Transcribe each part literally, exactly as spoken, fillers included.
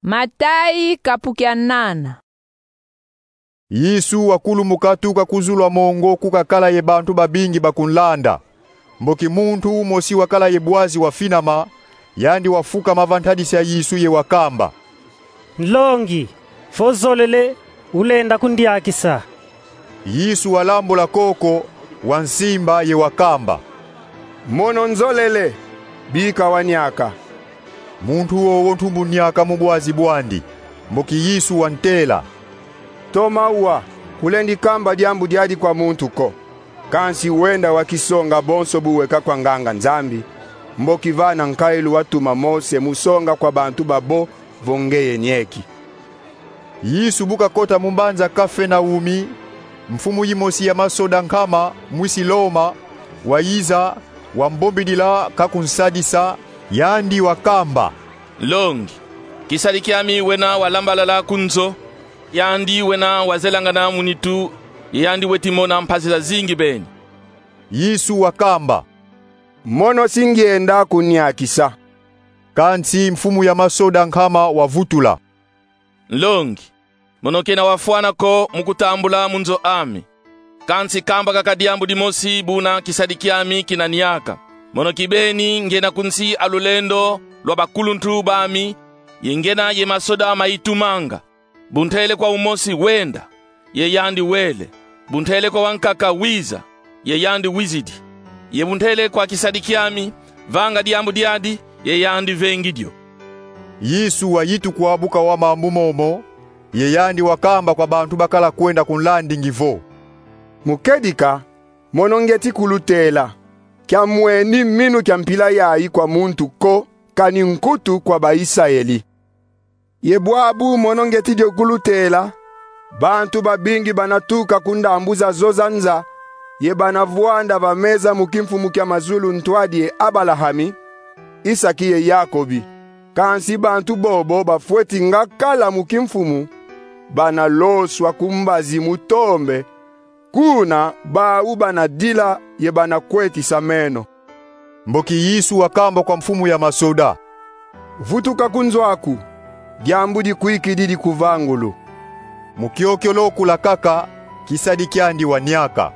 Matayi kapu kia nana. Yesu wakulumuka tuka ku zulu a mongo ku kakala ye bantu babingi bakunlanda. Mboki muntu umosi wakala ye bwazi wafinama, yandi wafukama va ntadisi a Yesu ye wakamba: Nlongi, vo zolele, ulenda kundiakisa. Yesu walambula koko, wansimba ye wakamba: Mono nzolele, bika waniaka. Muntu wowo ntumbu niaka mu bwazi bwandi. Mboki Yesu wantela: Toma wa, kulendi kamba diambu diadi kwa muntu ko. Kansi wenda wakisonga bonso bu weka kwa nganga-Nzambi, mboki vana nkayilu watuma Mose mu songa kwa bantu babo vo ngeye nieki. Yesu bu kakota mu mbanza Kafernaumi, mfumu yimosi ya masoda nkama, mwisi Loma, wayiza, wambombidila ka kunsadisa, yandi wakamba: Nlongi, kisadi kiami wena walambalala ku nzo, yandi wena wazelangana mu nitu, ye yandi weti mona mpasi zazingi beni. Yesu wakamba: Mono si ngienda kuniakisa. Kansi mfumu ya masoda nkama wavutula: Nlongi, mono kena wafwana ko mu kutambula mu nzo ami. Kansi kamba kaka diambu dimosi buna kisadi kiami kina niaka. Mono kibeni ngena ku nsi a lulendo lwa bakuluntu bami, ye ngena ye masoda ma itumanga. Bu ntele kwa umosi: Wenda, ye yandi wele. Bu ntele kwa wankaka: Wiza, ye yandi wizidi. Ye bu ntele kwa kisadi kiami: Vanga diambu diadi, ye yandi vengi dio. Yesu wayitukwa bu kawa mambu momo, ye yandi wakamba kwa bantu bakala kwenda kunlandingi vo: Mu kedika, mono ngieti kulutela, kiamweni minu kia mpila yayi kwa muntu ko, kani nkutu kwa ba-Isayeli. Ye bwabu mono ngieti dio kulutela, bantu babingi bana tuka ku ndambu zazo za nza, ye bana vwanda va meza mu kimfumu kia mazulu ntwadi ye Abalahami, Isaki ye Yakobi. Kansi bantu bobo bafweti nga kala mu kimfumu, bana loswa ku mbazi mu tombe, kuna bau bana dila ye bana kwetisa meno. Mboki Yesu wakamba kwa mfumu ya masoda: Vutuka ku nzo aku, diambu dikwikidi dikuvangulu. Mu kiokio lokula kaka, kisadi kiandi waniaka.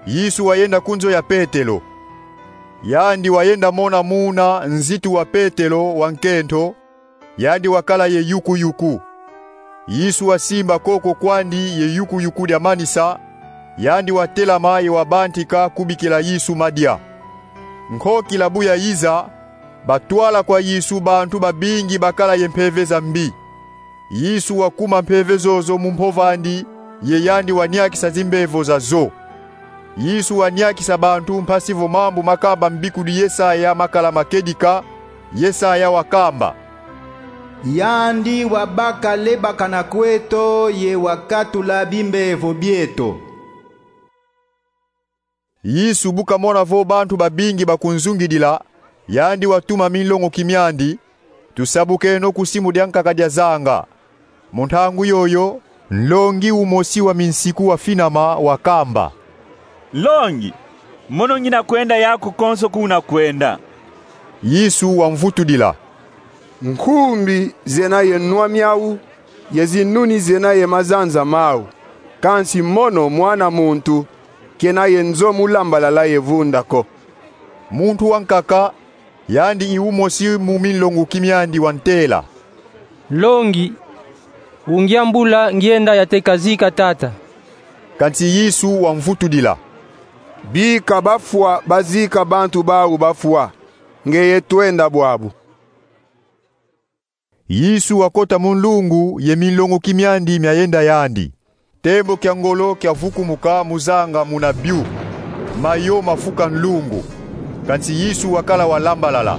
Yesu wayenda ku nzo ya Petelo. Yandi wayenda mona muna nzitu wa Petelo wa nkento, yandi wakala ye yuku-yuku. Yesu wasimba koko kwandi ye yuku-yuku dia manisa, yandi watelama ye wabantika kubikila Yesu madia. Nkokila bu yayiza, batwala kwa Yesu bantu babingi bakala ye mpeve za mbi. Yesu wakuma mpeve zozo mu mpov'andi, ye yandi waniakisa zimbevo zazo. Yesu waniakisa bantu mpasi vo mambu makamba mbikudi Yesaya makala ma kedika, Yesaya wakamba: Yandi wabaka lebakana kweto ye wakatula bimbevo bieto. Yesu bu kamona vo bantu babingi bakunzungidila, yandi watuma minlongoki miandi: Tusabukeno ku simu diankaka dia zanga. Mu ntangu yoyo, nlongi umosi wa minsiku wafinama, wakamba: Nlongi, mono ngina kwenda yaku konso ku una kwenda. Yesu wamvutudila: Nkumbi zena ye nwa miau, ye zinuni zena ye mazanza mau, kansi mono mwana muntu kena ye nzo mu lambalala ye vunda ko. Muntu wankaka, yandi i umosi mu minlongoki miandi, wantela: Nlongi, ungiambula ngienda yateka zika tata. Kansi Yesu wamvutudila: Bika bafwa bazika bantu bau bafwa, ngeye twenda bwabu. Yesu wakota mu nlungu ye minlongoki miandi miayenda yandi. Tembo kia ngolo kiavukumuka mu zanga muna biu. Mayo mafuka nlungu. Kansi Yesu wakala walambalala.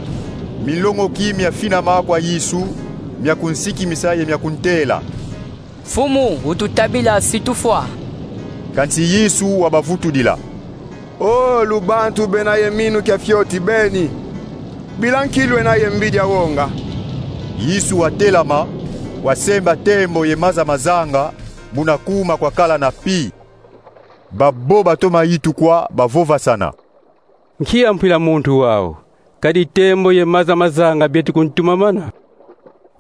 Minlongoki miafinama kwa Yesu, miakunsikimisa ye miakuntela: Mfumu, ututabila si tufwa. Kansi Yesu wabavutudila: O lubantu bena ye minu kia fioti beni, bila nki lwena ye mbidi awonga? Yesu watelama, wasemba tembo ye maza ma zanga, muna kuma kwakala na pi. Babo batoma yitukwa, bavovasana: Nkia mpila muntu wau, kadi tembo ye maza ma zanga bieti kuntumamana?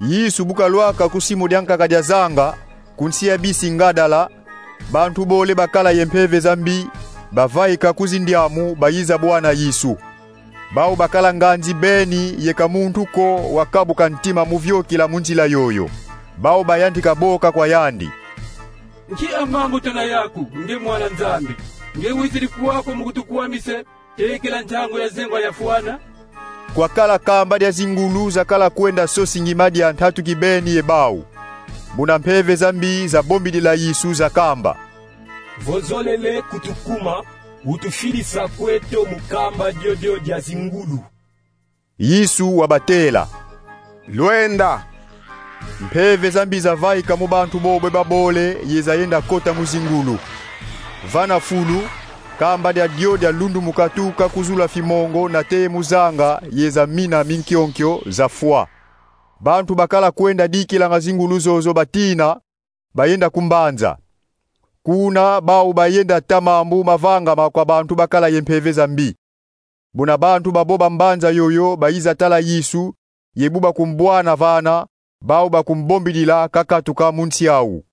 Yesu bu kalwaka ku simu dia nkaka dia zanga, ku nsi ya bisi Gadala, bantu bole bakala ye mpeve za mbi bavaika ku zindiamu bayiza bwana Yesu. Bau bakala nganzi beni ye ka muntu ko wakabuka ntima mu viokila mu nzila yoyo. Bau bayantika boka kwa yandi: Nki a mambu tuna yaku, nge mwana Nzambi? Nge wizidi kwaku mu kutukwamisa, tekila ntangu ya zengwa yafwana? Kwakala kamba dia zingulu zakala kwenda sosa ngima dia ntatu kibeni ye bau. Muna mpeve za mbi zabombidila Yesu, zakamba: Vo zolele kutukuma, utufidisa kweto mu kamba diodio dia zingulu. Yesu wabatela: Lwenda. Mpeve za mbi zavaika mu bantu bobo babole ye zayenda kota mu zingulu. Vana fulu, kamba diadio dialundumuka tuka ku zulu a fimongo nate mu zanga ye zamina minkionkio, zafwa. Bantu bakala kwenda dikilanga zingulu zozo batina, bayenda ku mbanza. Kuna bau bayenda ta mambu mavangama kwa bantu bakala ye mpeve za mbi. Muna bantu babo ba mbanza yoyo bayiza tala Yesu, ye bu bakumbwana vana, bau bakumbombidila kakatuka mu nsi au.